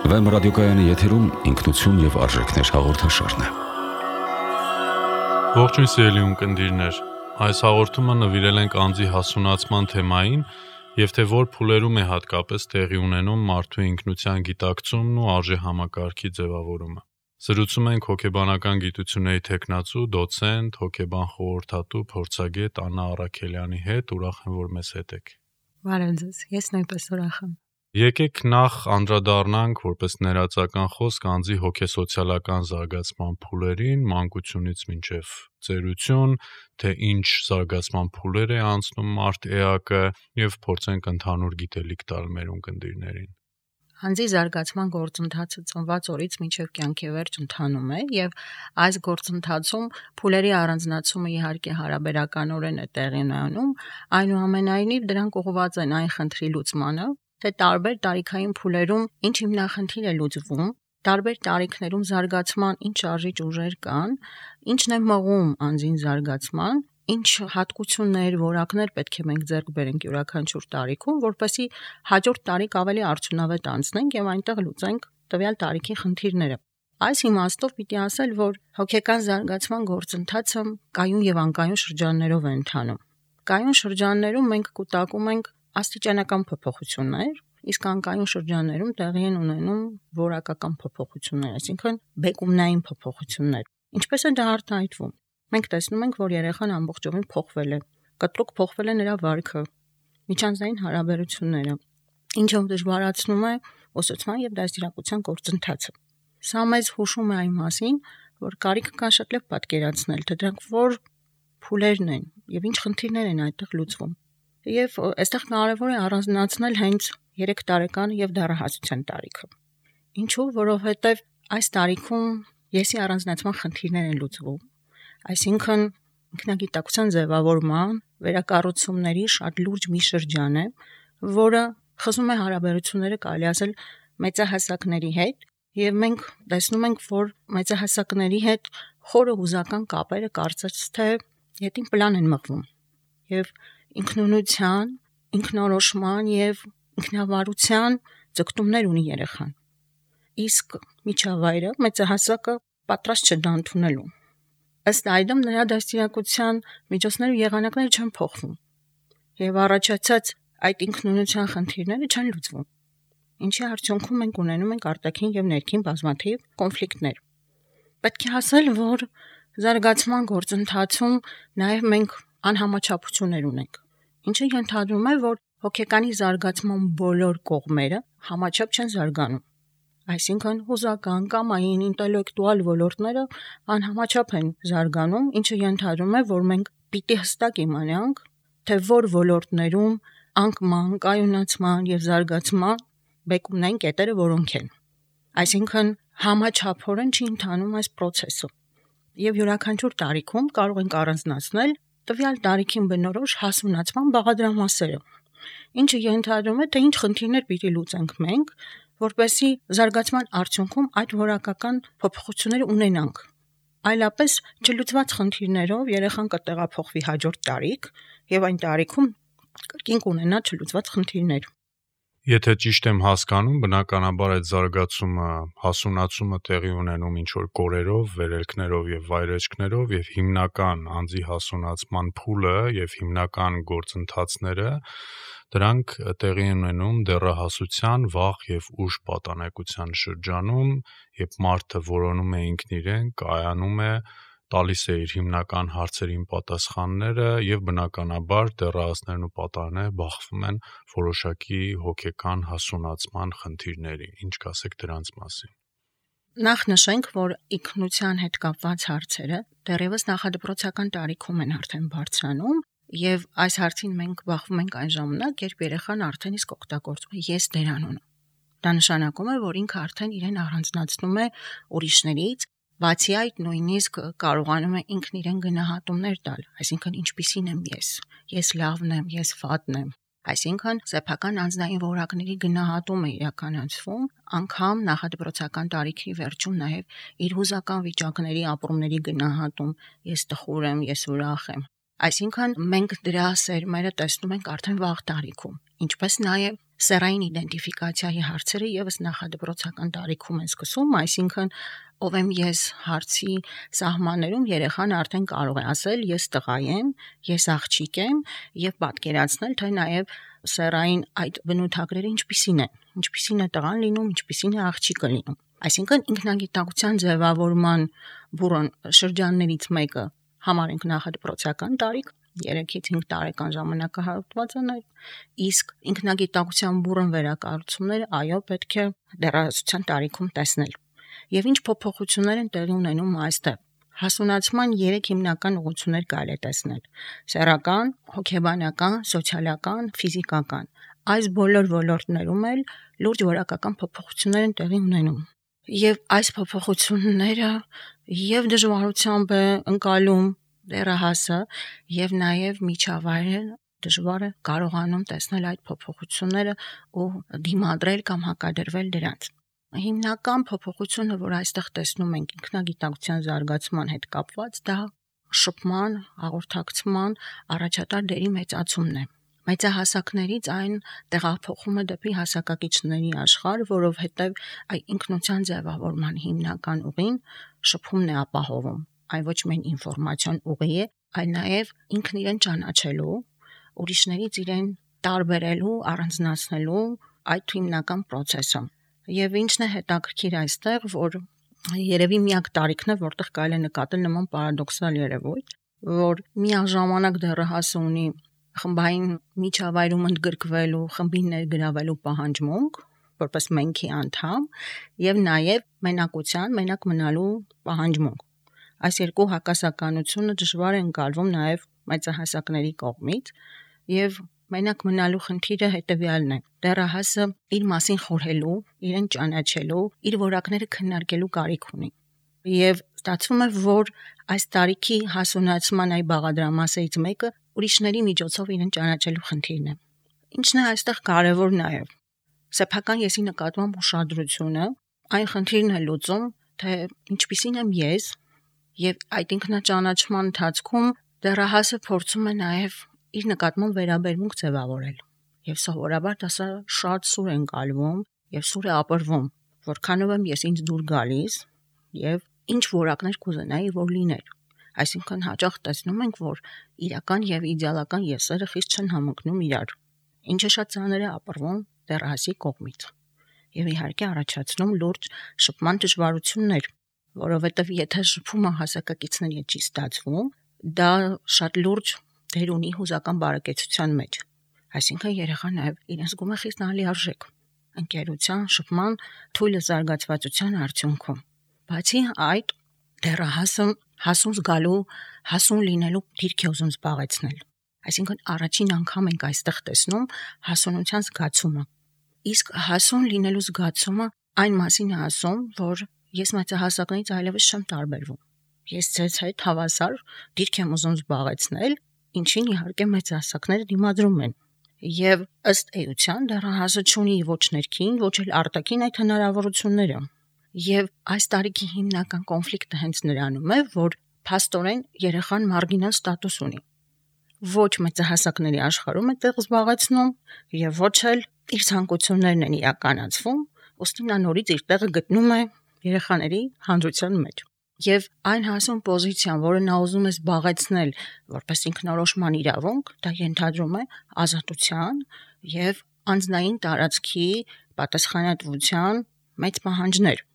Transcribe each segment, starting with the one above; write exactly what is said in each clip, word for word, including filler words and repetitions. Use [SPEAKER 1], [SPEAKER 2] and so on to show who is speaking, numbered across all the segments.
[SPEAKER 1] Վեմ ռադիոկայանի եթերում ինքնություն և արժեքներ հաղորդաշարն է։
[SPEAKER 2] Ողջույն սիրելի ունկնդիրներ, այս հաղորդումը նվիրել ենք անձի հասունացման թեմային և թե որ փուլերում է հատկապես տեղի ունենում մարդու ինքնության գիտակցումն ու արժեհամակարգի ձևավորումը։ Զրուցում ենք հոգեբանական գիտությունների թեկնածու, դոցենտ, հոգեբան խորհրդատու, փորձագետ Աննա Առաքելյանի հետ, ուրախ եմ, որ մեզ հետ եք։
[SPEAKER 3] Բարև ձեզ, ես նույնպես ուրախ եմ։
[SPEAKER 2] Եկեք նախ անդրադառնանք որպես ներածական խոսք անձի հոգեսոցիալական զարգացման փուլերին, մանկությունից մինչև ծերություն, թե ինչ զարգացման փուլեր է անցնում մարդ էակը և փորձենք ընդհանուր գիտելիք տալ մեր ունկնդիրներին։
[SPEAKER 3] Անձի զարգացման գործընթացը ծնված օրից մինչև կյանքի վերջ ընթանում է և այս գործընթացում փուլերի առանձնացումը իհարկե հարաբերականորեն է տեղի ունենում, այնուամենայնիվ դրանք ուղղված են այն խնդրի լուծմանը, թե տարբեր տարիքային փուլերում ինչ հիմնախնդիր է լուծվում, տարբեր տարիքներում զարգացման ինչ շարժիչ ուժեր կան, ինչն է մղում անձին զարգացման, ինչ հատկություններ, որակներ պետք է մենք ձեռք բերենք յուրաքանչյուր տարիքում, որպեսզի հաջորդ տարիք ավելի արդյունավետ անցնենք եւ այնտեղ լուծենք տվյալ տարիքի խնդիրները։ Այս իմաստով պիտի ասել, որ հոգեկան զարգացման գործընթացը կայուն եւ անկայուն շրջաններով է ընթանում։ Կայուն շրջաններում մենք կուտակում ենք աստիճանական փոփոխություններ, իսկ անկայուն շրջաններում տեղի են ունենում որակական փոփոխություններ, այսինքն բեկումնային փոփոխություններ։ Ինչպես է դա արտահայտվում։ Մենք տեսնում ենք, որ երեխան ամբողջովին փոխվել է, կտրուկ փոխվել է նրա վարքը, միջանձնային հարաբերությունները, ինչը դժվարացնում է ուսուցման եւ դաստիարակության գործընթացը։ Սա մեզ հուշում է այն մասին, որ կարիք կա շատ լավ պատկերացնել, թե դրանք որ փուլերն են եւ ինչ խնդիրներ են այդտեղ լուծվում։ Եվ այստեղ կարևոր է առանձնացնել հենց երեք տարեկան եւ դեռահասության տարիքը։ Ինչու՞, որովհետեւ այս տարիքում եսի առանձնացման խնդիրներ են լուծվում, այսինքն ինքնագիտակցության ձևավորման, վերակառուցումների շատ լուրջ մի շրջան է, որը խզում է հարաբերությունները կարելի ասել մեծահասակների հետ, եւ մենք տեսնում ենք, որ մեծահասակների հետ խորը հուզական կապերը կարծես թե ետին պլան են մղվում եւ ինքնունության, ինքնորոշման եւ ինքնավարության ձգտումներ ունի երեխան։ Իսկ միջավայրը մեծահասակը պատրաստ չէ դա ընդունելու։ Ըստ այդմ նրա դաստիարակության միջոցները ու եղանակները չեն փոխվում եւ առաջացած այդ ինքնունության խնդիրները չեն լուծվում, ինչի արդյունքում մենք ունենում ենք արտաքին եւ ներքին բազմաթիվ կոնֆլիկտներ։ Պետք է ասել, որ զարգացման գործընթացում նաեւ մենք անհամաչափություններ ունենք, ինչը ենթադրում է, որ հոգեկանի զարգացման բոլոր կողմերը համաչափ չեն զարգանում։ Այսինքն հուզական, կամային, ինտելեկտուալ ոլորտները անհամաչափ են զարգանում, ինչը ենթադրում է, որ մենք պիտի հստակ իմանանք, թե որ ոլորտներում անկման, կայունացման եւ զարգացման բեկումնային կետերը որոնք են։ Այսինքն համաչափորեն չի ընթանում այս process-ը։ Եվ յուրաքանչյուր տարիքում կարող ենք առանձնացնել տվյալ տարիքին բնորոշ հասունացման բաղադրամասերը, ինչը ենթադրում է, թե ինչ խնդիրներ պիտի լուծենք մենք, որպեսզի զարգացման արդյունքում այդ որակական փոփոխությունները ունենանք։ Այլապես չլուծված խնդիրներով երեխան կտեղափոխվի հաջորդ տարիք եւ այն տարիքում կրկին կունենա չլուծված խնդիրներ։
[SPEAKER 2] Եթե ճիշտ եմ հասկանում, բնականաբար այդ զարգացումը, հասունացումը տեղի ունենում ինչ-որ կորերով, վերելքներով եւ վայրեջքներով եւ հիմնական անձի հասունացման փուլը եւ հիմնական գործընթացները դրանք տեղի են ունենում դեռահասության, վաղ եւ ուշ պատանեկության շրջանում, երբ մարդը որոնում է ինքն իրեն, կայանում է, տալիս է իր հիմնական հարցերին պատասխանները եւ բնականաբար դեռահասներն ու պատանիները բախվում են որոշակի հոգեկան հասունացման խնդիրների։ Ինչ կասեք դրանց մասին։
[SPEAKER 3] Նախ նշենք, որ ինքնության հետ կապված հարցերը դեռևս նախադպրոցական տարիքում են արդեն բարձրանում եւ այս հարցին մենք բախվում ենք այն ժամանակ, երբ երեխան արդեն իսկ օգտագործում է ես դերանունը։ Դա նշանակում է, որ ինքը արդեն իրեն առանձնացնում է ուրիշներից, բացի այդ նույնիսկ կարողանում է ինքն իրեն գնահատումներ տալ, այսինքն ինչպիսին եմ ես, ես լավն եմ, ես վատն եմ, այսինքն սեփական անձնային որակների գնահատումը իրականացվում, անգամ նախադպրոցական տարիքի վերջում նաև իր հուզական վիճակների, ապրումների գնահատում, ես տխուր եմ, ես ուրախ եմ։ Այսինքն մենք դրա սերմերը տեսնում ենք արդեն վաղ տարիքում, ինչպես նաև սեռային իդենտիֆիկացիայի հարցերը եւս նախադպրոցական տարիքում են սկսում, այսինքն ով եմ ես հարցի սահմաններում երեխան արդեն կարող է ասել ես տղա եմ, ես աղջիկ եմ եւ պատկերացնել, թե նաեւ սեռային այդ բնութագրերը ինչպիսին են, ինչպիսին է տղան լինում, ինչպիսին է աղջիկը լինում։ Այսինքն ինքնագիտակցության ձևավորման բուրըն շրջաններից մեկը համարենք նախադպրոցական տարիք, երեքից հինգ տարեկան ժամանակահատվածն է, իսկ ինքնագիտակցության բուրըն վերակառուցումները այո պետք է դեռահասության տարիքում տեսնել։ Եվ ինչ փոփոխություններ են տեղի ունենում այստեղ։ Հասունացման երեք հիմնական ուղղություններ կարելի է տեսնել՝ սեռական, հոգեբանական, սոցիալական, ֆիզիկական։ Այս բոլոր ոլորտներում էլ լուրջ որակական փոփոխություններ են տեղի ունենում։ Եվ այս փոփոխությունները եւ դժվարությամբ է ընկալում դեռահասը եւ նաեւ միջավայրը դժվար է կարողանում տեսնել այդ փոփոխությունները ու դիմադրել կամ հակադրվել դրանց։ Հիմնական փոփոխությունը, որ այստեղ տեսնում ենք ինքնագիտակցության զարգացման հետ կապված, դա շփման, հաղորդակցման առաջատար դերի մեծացումն է։ Մեծահասակներից այն տեղափոխում է դեպի հասակակիցների աշխարհ, որովհետև այ ինքնության ձևավորման հիմնական ուղին շփումն է ապահովում։ Այն ոչ միայն ինֆորմացիոն ուղի է, այլ նաև ինքն իրեն ճանաչելու, ուրիշներից իրեն տարբերելու, առանձնացնելու այդ հիմնական process-ը։ Եվ ինչն է հետաքրքիր այստեղ, որ երևի միակ տարիքն է, որտեղ կարելի է նկատել նման պարադոքսալ երևույթ, որ միաժամանակ դեռահասը ունի խմբային միջավայրում ընդգրկվելու, խմբին ներգրավելու պահանջմունք, որպես մենքի անդամ, եւ նաեւ մենակության, մենակ մնալու պահանջմունք։ Այս երկու հակասականությունը դժվար է ընկալվում նաեւ մեծահասակների կողմից, եւ մենակ մնալու խնդիրը հետեւյալն է. դեռահասը իր մասին խորհելու, իրեն ճանաչելու, իր որակները քննարկելու կարիք ունի։ Եվ ստացվում է, որ այս տարիքի հասունացման այ բաղադրամասերից մեկը ուրիշների միջոցով իրեն ճանաչելու խնդիրն է։ Ինչն է այստեղ կարևոր նաև։ Սեփական եսի նկատմամբ ուշադրությունը այն խնդիրն է լուծում, թե ինչպիսին եմ ես, եւ այդ ինքնաճանաչման ընթացքում դեռահասը փորձում է նաև իր նկատմամբ վերաբերմունք ձևավորել։ Եվ սովորաբար դա շատ սուր է ընկալվում եւ սուր է ապրվում, որքանով եմ ես ինձ դուր գալիս եւ ինչ որակներ կուզենայի, որ լիներ։ Այսինքն հաճախ տեսնում ենք, որ իրական եւ իդեալական եսերը խիստ չեն համընկնում իրար, ինչը շատ ծանր է ապրվում դեռահասի կողմից։ Եվ իհարկե առաջացնում լուրջ շփման դժվարություններ, որովհետեւ եթե շփումը հասակակիցների հետ չի ստացվում, դա շատ լուրջ դեր ունի հուզական բարեկեցության մեջ։ Այսինքն երեխան նաև իրեն զգում է խիստ անլիարժեք ընկերության, շփման, թույլ զարգացվածության արդյունքում։ Բացի այդ, դեռահասը հասուն զգալու, հասուն լինելու դիրք է ուզում զբաղեցնել։ Այսինքն առաջին անգամ ենք այստեղ տեսնում հասունության զգացումը։ Իսկ հասուն լինելու զգացումը այն մասին է ասում, որ ես մեծահասակներից այլևս չեմ տարբերվում։ Ես ձեզ հետ հավասար դիրք եմ ուզում զբաղեցնել, ինչին իհարկե մեծահասակները դիմադրում են։ Եվ ըստ էության դեռահասը չունի ոչ ներքին, ոչ էլ արտաքին այդ հնարավորությունները։ Եվ այս տարիքի հիմնական կոնֆլիկտը հենց նրանում է, որ փաստորեն երեխան մարգինալ ստատուս ունի։ Ոչ մեծահասակների աշխարհում է տեղ զբաղեցնում եւ ոչ էլ իր ցանկություններն են իրականացվում, ըստ նա նորից իր տեղը գտնում է երեխաների հանրության մեջ։ Եվ այն հասուն պոզիցիան, որը նա ուզում է զբաղեցնել որպես ինքնորոշման իրավունք, դա ենթադրում է ազատության եւ անձնային տարածքի պատասխանատվության մեծ պահանջներ։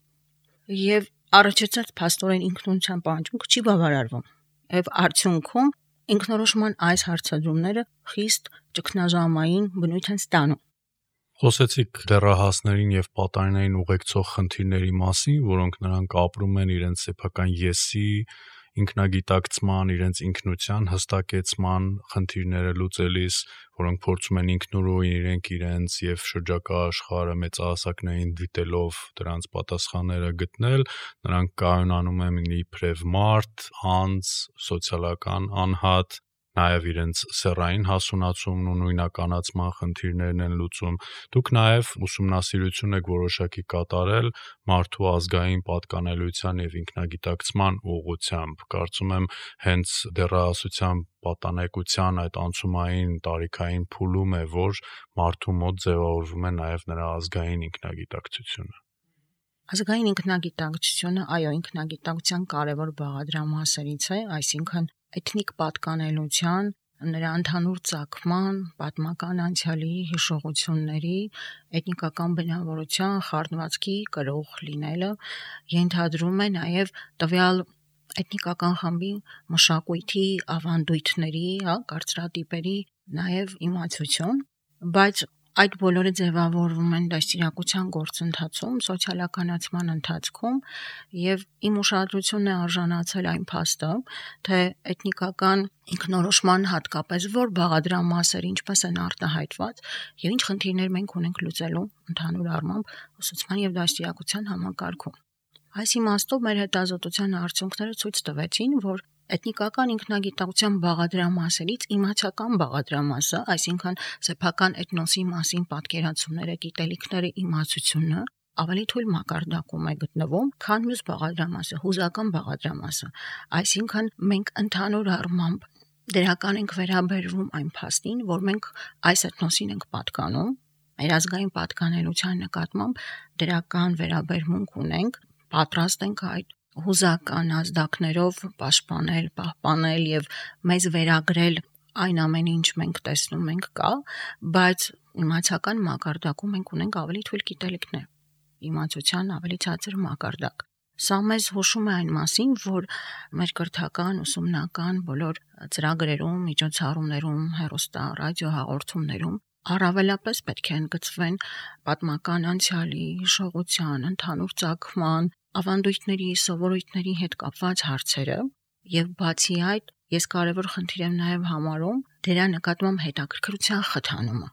[SPEAKER 3] Եվ առաջացած փաստորեն ինքնության պահանջմունքը չի բավարարվում։ Եվ արդյունքում ինքնորոշման այս հարցադրումները խիստ ճգնաժամային բնույթ են ստանում։
[SPEAKER 2] Խոսեցիք դեռահասներին եւ պատանիներին ուղեկցող խնդիրների մասին, որոնք նրանք ապրում են իրենց սեփական եսի, ինքնագիտակցման, իրենց ինքնության հստակեցման խնդիրները լուծելիս, որոնք փորձում են ինքնուրույն իրենք իրենց եւ շրջակա աշխարհը մեծահասակներին դիտելով դրանց պատասխանները գտնել, նրանք կայունանում են իբրև մարդ, անձ, սոցիալական անհատ, նաև իրենց սեռային հասունացումն ու նույնականացման խնդիրներն են լուծում։ Դուք նաև ուսումնասիրություն եք որոշակի կատարել մարդու ազգային պատկանելիության եւ ինքնագիտակցման ուղղությամբ։ Կարծում եմ հենց դեռահասության պատանեկության այդ անցումային տարիքային փուլում է, որ մարդու մոտ ձևավորվում է նաև նրա ազգային ինքնագիտակցությունը։
[SPEAKER 3] Ազգային ինքնագիտակցությունը, այո, ինքնագիտակցության կարևոր բաղադրամասերից է, այսինքն էթնիկ պատկանելության, նրա ընդհանուր ծագման, պատմական անցյալի, հիշողությունների, էթնիկական բնավորության, խառնվածքի կրող լինելը ենթադրում է նաև տվյալ էթնիկական խմբի մշակույթի, ավանդույթների, հա, կարծրատիպերի նաև իմացություն, բայց այդ բոլորը ձևավորվում են դաստիարակության գործընթացում, սոցիալականացման ընթացքում եւ իմ ուշադրությունն է արժանացել այն փաստը, թե էթնիկական ինքնորոշման հատկապես որ բաղադրամասեր ինչպես են արտահայտված եւ ինչ խնդիրներ մենք ունենք լուծելու ընդհանուր առմամբ ուսուցման եւ դաստիարակության համակարգում։ Այս իմաստով մեր հետազոտության արդյունքները ցույց տվեցին, որ էթնիկական ինքնագիտակցության բաղադրամասերից իմացական բաղադրամասը, այսինքն սեփական էթնոսի մասին պատկերացումները, գիտելիքները, իմացությունը ավելի թույլ մակարդակում է գտնվում, քան մյուս բաղադրամասը, հուզական բաղադրամասը։ Այսինքն մենք ընդհանուր առմամբ դրական ենք վերաբերվում այն փաստին, որ մենք այս էթնոսին ենք պատկանում, մեր ազգային պատկանելիության նկատմամբ դրական վերաբերմունք ունենք, պատրաստ ենք այդ հուզական ազդակներով պաշտպանել, պահպանել եւ մեզ վերագրել այն ամենը, ինչ մենք տեսնում ենք կա, բայց իմացական մակարդակում մենք ունենք ավելի թույլ գիտելիքներ, իմացության ավելի ցածր մակարդակ։ Սա մեզ հուշում է այն մասին, որ մեր կրթական, ուսումնական բոլոր ծրագրերում, միջոցառումներում, հեռուստա, ռադիո հաղորդումներում առավելապես պետք է ընդգծվեն պատմական անցյալի, հիշողության, ընդհանուր ծագման, ավանդույթների, սովորույթների հետ կապված հարցերը եւ բացի այդ ես կարևոր խնդիր եմ նաեւ համարում դրա նկատմամբ հետաքրքրության խթանումը,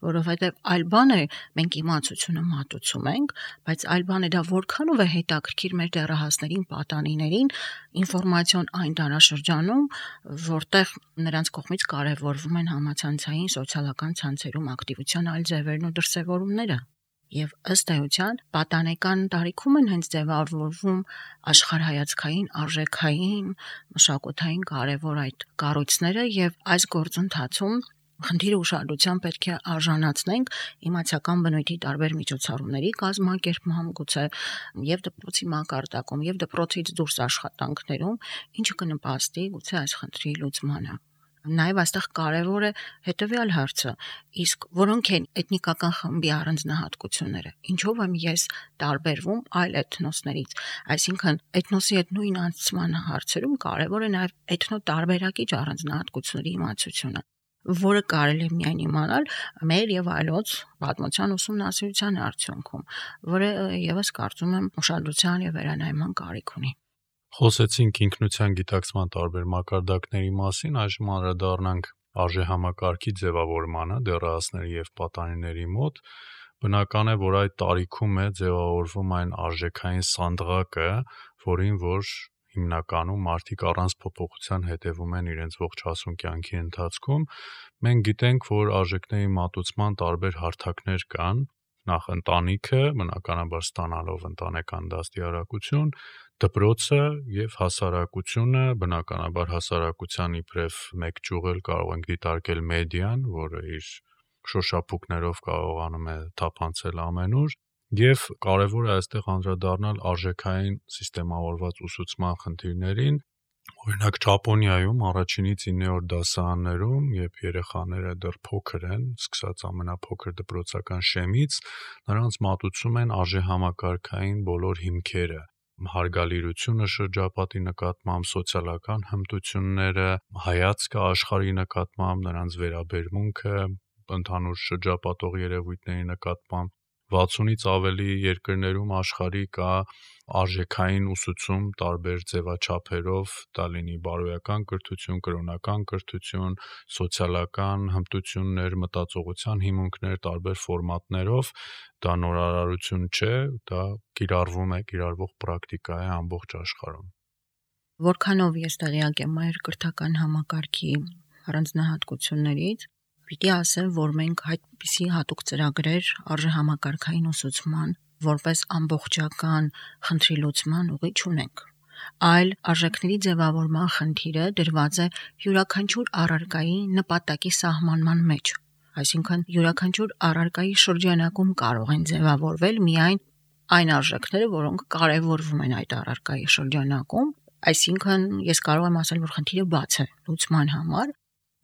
[SPEAKER 3] որովհետեւ այլ բան է մենք իմացությունը մատուցում ենք, բայց այլ բան է դա որքանով է հետաքրքիր մեր դեռահասներին, պատանիներին ինֆորմացիոն այն դարաշրջանում, որտեղ նրանց կողմից կարևորվում են համացանցային սոցիալական ցանցերում ակտիվության այլ ձևերն ու դրսևորումները։ Եվ ըստ էության պատանեկան տարիքում են հենց ձևավորվում աշխարհայացքային, արժեքային, մշակութային կարևոր այդ կառույցները եւ այս գործընթացում խնդիրը ուշադրության պետք է արժանացնենք իմացական բնույթի տարբեր միջոցառումների կազմակերպման գուցե եւ դպրոցի մակարդակում եւ դպրոցից դուրս աշխատանքներում, ինչը կնպաստի գուցե այս խնդրի լուծմանը։ Նաև այստեղ կարևոր է հետևյալ հարցը, իսկ որոնք են էթնիկական խմբի առանձնահատկությունները, ինչով եմ ես տարբերվում այլ էթնոսներից, այսինքն էթնոսի հետ նույն անցման հարցերում կարևոր է նաև էթնոտարբերակիչ առանձնահատկությունների իմացությունը, որը կարելի է միայն իմանալ մեր եւ այլոց պատմության ուսումնասիրության արդյունքում, որը եւս կարծում եմ ուշադրության եւ վերանայման կարիք ունի։
[SPEAKER 2] Խոսեցինք ինքնության գիտակցման տարբեր մակարդակների մասին, այժմ անդրադառնանք արժեհամակարգի ձևավորմանը դեռահասների եւ պատանիների մոտ։ Բնական է, որ այդ տարիքում է ձևավորվում այն արժեքային սանդղակը, որին որ հիմնականում մարդիկ առանց փոփոխության հետևում են իրենց ողջ հասուն կյանքի ընթացքում։ Մենք գիտենք, որ արժեքների մատուցման տարբեր հարթակներ կան, նախ ընտանիքը, բնականաբար ստանալով ընտանեկան դաստիարակություն, դպրոցը եւ հասարակությունը, բնականաբար հասարակության իբրև մեկ ճյուղ կարող ենք դիտարկել մեդիան, որը իր շոշափուկներով կարողանում է թափանցել ամենուր, եւ կարեւոր է այստեղ անդրադառնալ արժեքային սիստեմավորված ուսուցման խնդիրներին։ Օրինակ Ճապոնիայում առաջինից իններորդ դասարաններում, երբ երեխաները դեռ փոքր են, սկսած ամենափոքր դպրոցական շեմից, նրանց մատուցում են արժեհամակարգային բոլոր հիմքերը, հարգալիրությունը շրջապատի նկատմամբ, սոցիալական հմտությունները, հայացքը աշխարհի նկատմամբ, նրանց վերաբերմունքը ընդհանուր շրջապատող երևույթների նկատմամբ։ վաթսունից ավելի երկրներում աշխարհի կա արժեքային ուսուցում տարբեր ձևաչափերով, դա լինի բարոյական կրթություն, կրոնական կրթություն, սոցիալական հմտություններ, մտածողության հիմունքներ տարբեր ֆորմատներով, դա նորարարություն չէ, դա կիրառվում է, կիրառվող պրակտիկա է ամբողջ աշխարհում։
[SPEAKER 3] Որքանով ես տեղյակ եմ մեր կրթական համակարգի առանձնահատկություններից պիտի ասեմ, որ մենք այդպիսի հատուկ ծրագրեր արժեհամակարգային ուսուցման որպես ամբողջական խնդրի լուծման ուղի չունենք, այլ արժեքների ձևավորման խնդիրը դրված է յուրաքանչյուր առարկայի նպատակի սահմանման մեջ, այսինքն յուրաքանչյուր առարկայի շրջանակում կարող են ձևավորվել միայն այն արժեքները, որոնք կարևորվում են այդ առարկայի շրջանակում, այսինքն ես կարող եմ ասել, որ խնդիրը բաց է լուծման համար։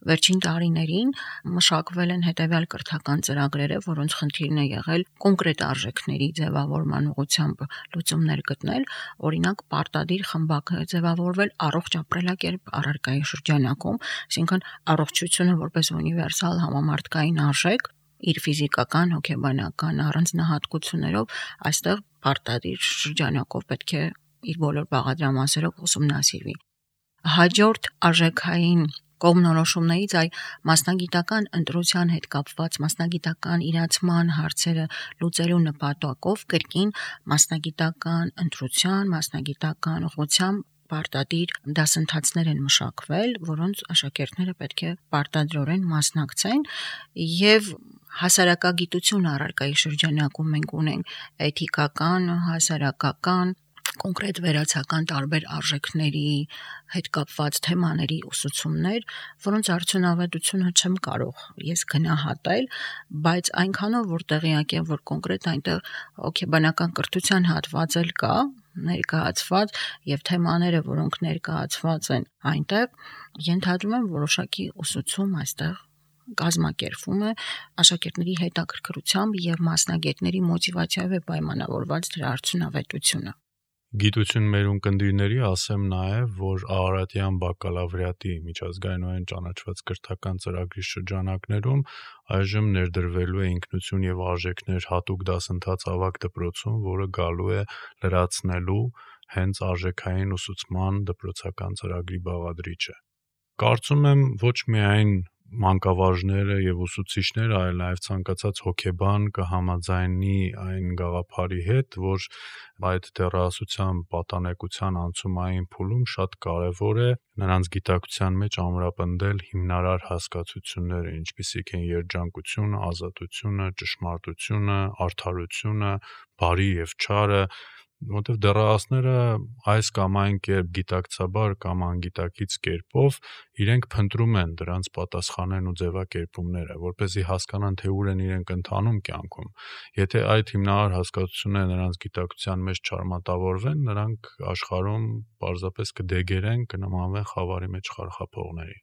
[SPEAKER 3] Վերջին տարիներին մշակվել են հետևյալ կրթական ծրագրերը, որոնց խնդիրն է եղել կոնկրետ արժեքների ձևավորման ուղղությամբ լուծումներ գտնել, օրինակ պարտադիր խմբակ է ձևավորվել առողջ ապրելակերպ առարկայի շրջանակում, այսինքն առողջությունը որպես ունիվերսալ համամարտկային արժեք իր ֆիզիկական, հոգեբանական առանձնահատկություններով այստեղ պարտադիր շրջանակով պետք է իր բոլոր բաղադրամասերով ուսումնասիրվի։ Հաջորդ արժեքային կողմնորոշումներից այ մասնագիտական ընտրության հետ կապված մասնագիտական իրացման հարցերը լուծելու նպատակով կրկին մասնագիտական ընտրության, մասնագիտական ուղղությամբ պարտադիր դասընթացներ են մշակվել, որոնց աշակերտները պետք է պարտադրորեն մասնակցեն եւ հասարակագիտություն առարկայի շրջանակում մենք ունենք էթիկական, հասարակական կոնկրետ վերացական տարբեր արժեքների հետ կապված թեմաների ուսուցումներ, որոնց արդյունավետությունը չեմ կարող ես գնահատել, բայց այնքանով որ տեղյակ եմ, որ կոնկրետ այնտեղ հոգեբանական կրթության հատված էլ կա, ներկայացված եւ թեմաները, որոնք ներկայացված են այնտեղ, ենթադրում եմ որոշակի ուսուցում այստեղ կազմակերպվում է աշակերտների հետաքրքրությամբ եւ մասնագետների մոտիվացիայով է պայմանավորված դրա արդյունավետությունը։
[SPEAKER 2] Գիտություն մեր ունկնդիրների ասեմ նաև, որ Արարատյան բակալավրիատի միջազգայինորեն ճանաչված կրթական ծրագրի շրջանակներում այժմ ներդրվելու է ինքնություն եւ արժեքներ հատուկ դասընթաց ավագ դպրոցում, որը գալու է լրացնելու հենց արժեքային ուսուցման դպրոցական ծրագրի բաղադրիչը։ Կարծում եմ ոչ միայն մանկավարժները եւ ուսուցիչները, այլ նաեւ ցանկացած հոգեբան կհամաձայնի այն գաղափարի հետ, որ այդ դեռահասության պատանեկության անցումային փուլում շատ կարեւոր է նրանց գիտակցության մեջ ամրապնդել հիմնարար հասկացությունները, ինչպիսիք են երջանկությունը, ազատությունը, ճշմարտությունը, արդարությունը, բարի եւ չարը, որտեղ դեռահասները այս կամ այն կերպ գիտակցաբար կամ անգիտակից կերպով իրենք փնտրում են դրանց պատասխաններն ու ձևակերպումները, որպեսզի հասկանան, թե ուր են իրենք ընթանում կյանքում։ Եթե այդ հիմնարար հասկացությունները նրանց գիտակցության մեջ չարմատավորվեն, նրանք աշխարհում պարզապես կդեգերեն, կնմանվեն խավարի մեջ խարխափողների։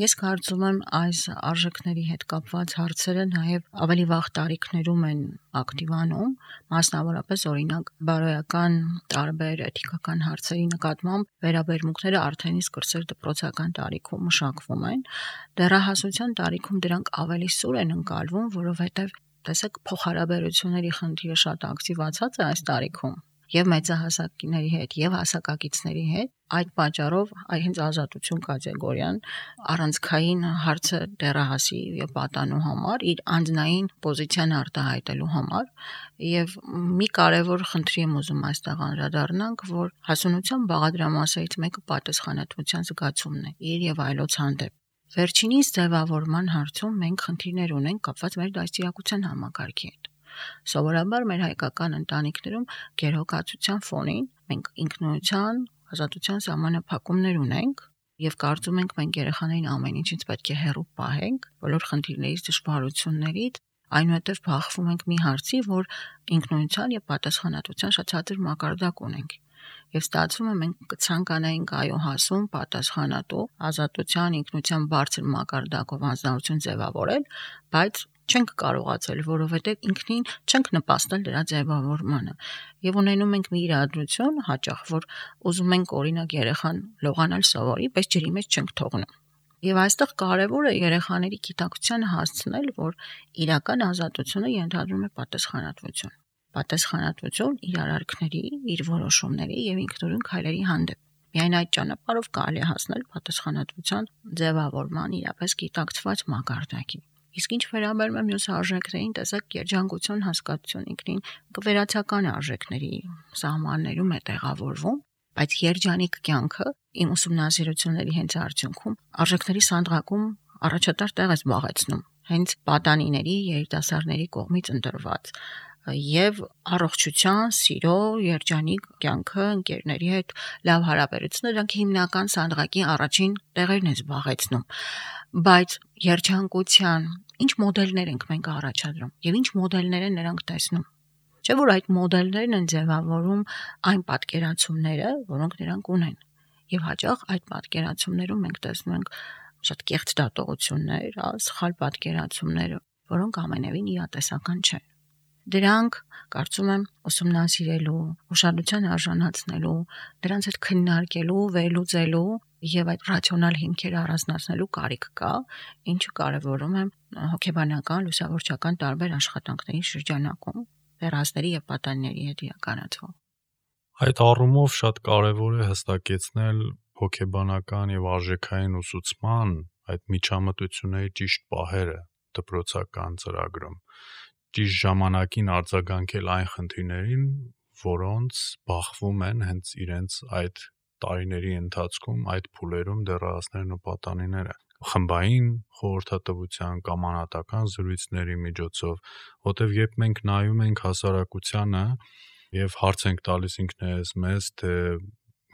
[SPEAKER 3] Ես կարծում եմ այս արժեքների հետ կապված հարցերը նաև ավելի վաղ տարիքներում են ակտիվանում, մասնավորապես օրինակ բարոյական տարբեր էթիկական հարցերի նկատմամբ վերաբերմունքները արդեն իսկ կրսեր դպրոցական տարիքում մշակվում են, դեռահասության տարիքում դրանք ավելի սուր են ընկալվում, որովհետև տեսեք փոխհարաբերությունների խնդիրը շատ ակտիվացած է այս տարիքում եւ մեծահասակների հետ եւ հասակակիցների հետ, այդ պատճառով այ հենց ազատություն կատեգորիան առանցքային հարցը դեռահասի եւ պատանու համար իր անձնային պոզիցիան արտահայտելու համար եւ մի կարեւոր խնդրի եմ ուզում այստեղ անդրադառնանք, որ հասունության բաղադրամասերից մեկը պատասխանատվության զգացումն է իր եւ այլոց հանդեպ։ Վերջինիս ձևավորման հարցում մենք խնդիրներ ունենք կապված մեր դաստիարակության համակարգի հետ։ Սովորաբար մեր հայկական ընտանիքներում գերհոգացության ֆոնին մենք ինքնության, ազատության սահմանափակումներ ունենք եւ կարծում ենք մենք երեխաներին ամեն ինչից պետք է հեռու պահենք, բոլոր խնդիրներից, դժվարություններից, այնուհետև բախվում ենք մի հարցի, որ ինքնության եւ պատասխանատվության շատ ցածր մակարդակ ունենք։ Եվ ստացվում է մենք կցանկանայինք այո հասուն, պատասխանատու, ազատության, ինքնության բարձր մակարդակով անձնարություն ձևավորել, բայց չենք կարողացել, որովհետև ինքնին չենք նպաստել դրա ձևավորմանը։ Եվ ունենում ենք մի իրադրություն հաճախ, որ ուզում ենք օրինակ երեխան լողանալ սովորի, բայց ջրի մեջ չենք թողնում։ Եվ այստեղ կարևոր է երեխաների գիտակցությանը հասցնել, որ իրական ազատությունը ենթադրում է պատասխանատվություն։ Պատասխանատվություն իր արարքների, իր որոշումների եւ ինքնուրույն քայլերի հանդեպ։ Միայն այդ ճանապարհով կարելի է հասնել պատասխանատվության ձևավորման իրապես գիտակցված մակարդակի։ Իսկ ինչ վերաբերում է մյուս արժեքներին, տեսակ երջանկություն հասկացություն ինքնին կվերացական արժեքների սահմաններում է տեղավորվում, Բայց երջանիկ կյանքը իմ ուսումնասիրությունների հենց արդյունքում արժեքների սանդղակում առաջատար տեղ է զբաղեցնում, հենց պատանիների, երիտասարդների կողմից ընտրված եւ առողջության, սիրո, երջանիկ կյանքը, ընկերների հետ լավ հարաբերությունները դրանք հիմնական սանդղակի առաջին տեղերն են զբաղեցնում։ Բայց երջանկության ինչ մոդելներ ենք մենք առաջադրում եւ ինչ մոդելներ են նրանք տեսնում։ Չէ՞ որ այդ մոդելներն են ձևավորում այն պատկերացումները, որոնք նրանք ունեն։ Եվ հաճախ այդ պատկերացումներում մենք տեսնում ենք շատ կեղծ դատողություններ, սխալ պատկերացումներ, որոնք ամենևին իրատեսական չեն։ Դրանք, կարծում եմ, ուսումնասիրելու, ուշադրության արժանացնելու, դրանց հետ քննարկելու, վերլուծելու եւ այդ ռացիոնալ հիմքերը առանձնացնելու կարիք կա, ինչը կարևորում եմ հոգեբանական, լուսավորչական տարբեր աշխատանքների շրջանակում, դեռահասների եւ պատանիների հետ իրականացվող։
[SPEAKER 2] Այդ առումով շատ կարևոր է հստակեցնել հոգեբանական եւ արժեքային ուսուցման այդ միջամտությունների ճիշտ պահերը դպրոցական ծրագրում, ճիշտ ժամանակին արձագանքել այն խնդիրներին, որոնց բախվում են հենց իրենց այդ տարիների ընթացքում այդ փուլերում դեռահասներն ու պատանիները, խմբային խորհրդատվության կամ անհատական զրույցների միջոցով, որտեղ երբ մենք նայում ենք հասարակությանը եւ հարց ենք տալիս ինքներս մեզ, թե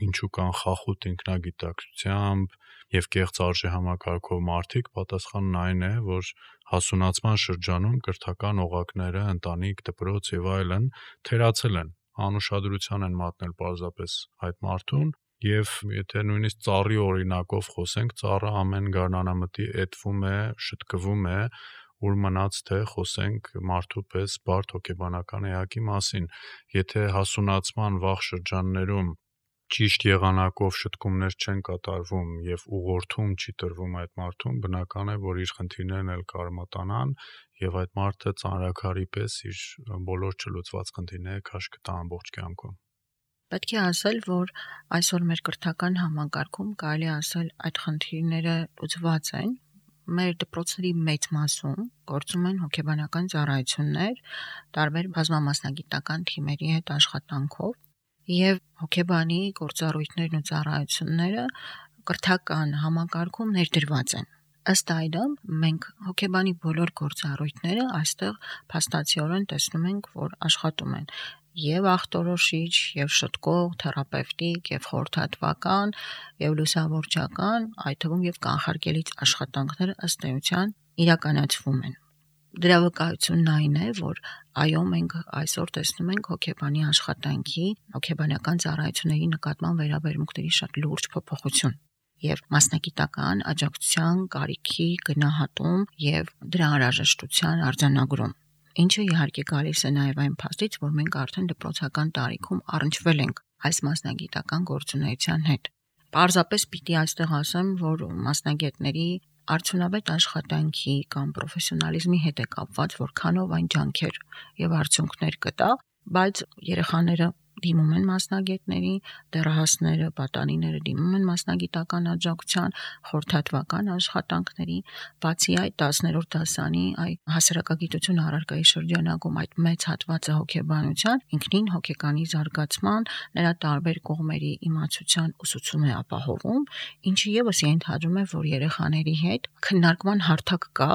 [SPEAKER 2] ինչու կան խախուտ ինքնագիտակցությամբ եւ կեղծ արժեհամակարգով մարդիկ, պատասխանն այն է, որ հասունացման շրջանում կրթական օղակները, ընտանիք, դպրոց եւ այլն թերացել են, անուշադրության են մատնել պարզապես այդ մարդուն, եւ եթե նույնիսկ ծառի օրինակով խոսենք, ծառը ամեն գարնանամտի էտվում է, շտկվում է, ուր մնաց թե խոսենք մարդու պես բարդ հոգեբանական էակի մասին։ Եթե հասունացման վաղ շրջաններում ճիշտ եղանակով շտկումներ չեն կատարվում եւ ուղղորդում չի տրվում այդ մարդուն, բնական է, որ իր խնդիրներն էլ կարմատանան եւ այդ մարդը ծանրաքարի պես իր բոլոր չլուծված խնդիրները քաշ կտա ամբողջ կյանքում։
[SPEAKER 3] Պետք է ասել, որ այսօր մեր կրթական համակարգում կարելի ասել այդ խնդիրները լուծված են։ Մեր դպրոցների մեծ մասում գործում են հոգեբանական ծառայություններ, տարբեր բազմամասնագիտական թիմերի հետ աշխատանքով, եւ հոգեբանի գործառույթներն ու ծառայությունները կրթական համակարգում ներդրված են։ Ըստ այդմ, մենք հոգեբանի բոլոր գործառույթները այստեղ փաստացիորեն տեսնում ենք, որ աշխատում են եւ ախտորոշիչ, եւ շտկող, թերապևտիկ, եւ խորհրդատվական, եւ լուսավորչական, այդ թվում եւ կանխարգելիչ աշխատանքները ըստ էության իրականացվում են։ Դրա վկայությունն այն է, որ այո, մենք այսօր տեսնում ենք հոգեբանի աշխատանքի, հոգեբանական ծառայությունների նկատմամբ վերաբերմունքների շատ լուրջ փոփոխություն եւ մասնագիտական աջակցության կարիքի գնահատում եւ դրա անհրաժեշտության արձանագրում, ինչը իհարկե գալիս է նաեւ այն փաստից, որ մենք արդեն դպրոցական տարիքում առնչվել ենք այս մասնագիտական գործունեության հետ։ Պարզապես պիտի այստեղ ասեմ, որ մասնագետների արդյունավետ աշխատանքի կամ պրոֆեսիոնալիզմի հետ է կապված, որքանով այն ջանքեր եւ արդյունքներ կտա, բայց երեխաները դիմում են մասնագետների, դեռահասները, պատանիները դիմում են մասնագիտական աջակցության, խորհրդատվական աշխատանքների, բացի այդ տասներորդ դասանի այ հասարակագիտություն առարկայի շրջանակում այդ մեծ հատվածը հոգեբանության ինքնին հոգեկանի զարգացման, նրա տարբեր կողմերի իմացության ուսուցում է ապահովում, ինչը եւս ենթադրում է, որ երեխաների հետ քննարկման հարթակ կա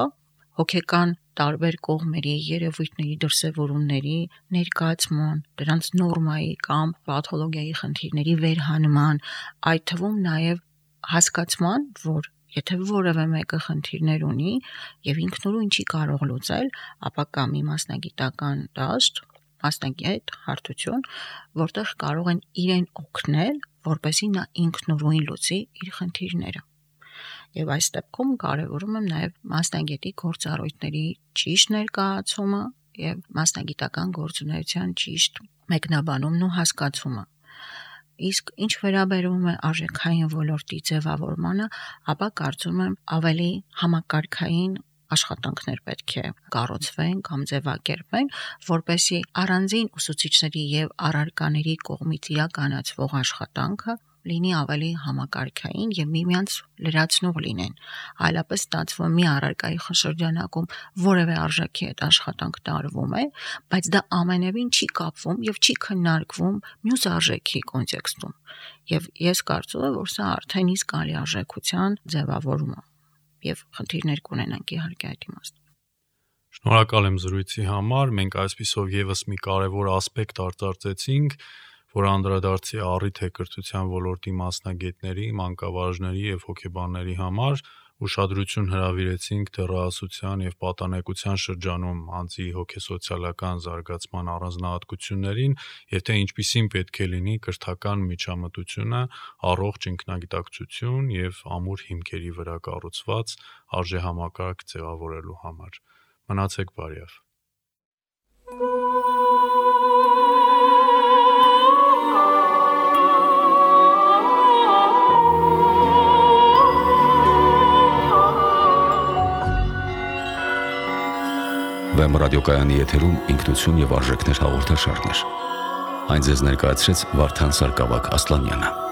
[SPEAKER 3] հոգեկան տարբեր կողմերի, երևույթների, դրսևորումների ներկայացման, դրանց նորմայի կամ պաթոլոգիայի խնդիրների վերհանման, այդ թվում նաև հասկացման, որ եթե որևէ մեկը խնդիրներ ունի եւ ինքնուրույն չի կարող լուծել, ապա կա մի մասնագիտական դաշտ, մասնագետ, հարթություն, որտեղ կարող են իրեն օգնել, որպեսզի նա ինքնուրույն լուծի իր խնդիրները։ Եվ այս դեպքում կարևորում եմ նաև մասնագետի գործառույթների ճիշտ ներկայացումը եւ մասնագիտական գործունեության ճիշտ մեկնաբանումն ու հասկացումը։ Իսկ ինչ վերաբերում է արժեքային ոլորտի ձևավորմանը, ապա կարծում եմ ավելի համակարգային աշխատանքներ պետք է կառուցվեն կամ ձևակերպվեն, որպեսզի առանձին ուսուցիչների եւ առարկաների կողմից իրականացվող աշխատանքը լինի ավելի համակարգային եւ միմյանց լրացնող լինեն, այլապես ստացվում է մի առարկայի շրջանակում որևէ արժեքի հետ աշխատանք տարվում է, բայց դա ամենևին չի կապվում եւ չի քննարկվում մյուս արժեքի կոնտեքստում։ Եվ ես կարծում եմ, որ սա արդեն իսկ ալի արժեքության ձևավորում է եւ խնդիրներ կունենանք իհարկե այդ իմաստով։
[SPEAKER 2] Շնորհակալ եմ զրույցի համար, մենք այսպիսով եւս մի կարևոր ասպեկտ արձարծեցինք, որ անդրադարձի առիթ է կրթության ոլորտի մասնագետների, մանկավարժների եւ հոգեբանների համար, ուշադրություն հրավիրեցինք դեռահասության եւ պատանեկության շրջանում անձի հոգեսոցիալական զարգացման առանձնահատկություններին եւ թե ինչպիսին պետք է լինի կրթական միջամտությունը, առողջ ինքնագիտակցություն եւ ամուր հիմքերի վրա կառուցված արժեհամակարգ ձևավորելու համար։ Մնացեք բարյավ։
[SPEAKER 1] Վեմ ռադիոկայանի եթերում ինքնություն եւ արժեքներ հաղորդաշարներ։ Այն ձեզ ներկայացրեց Վարդան Սարգսակ Ասլանյանը։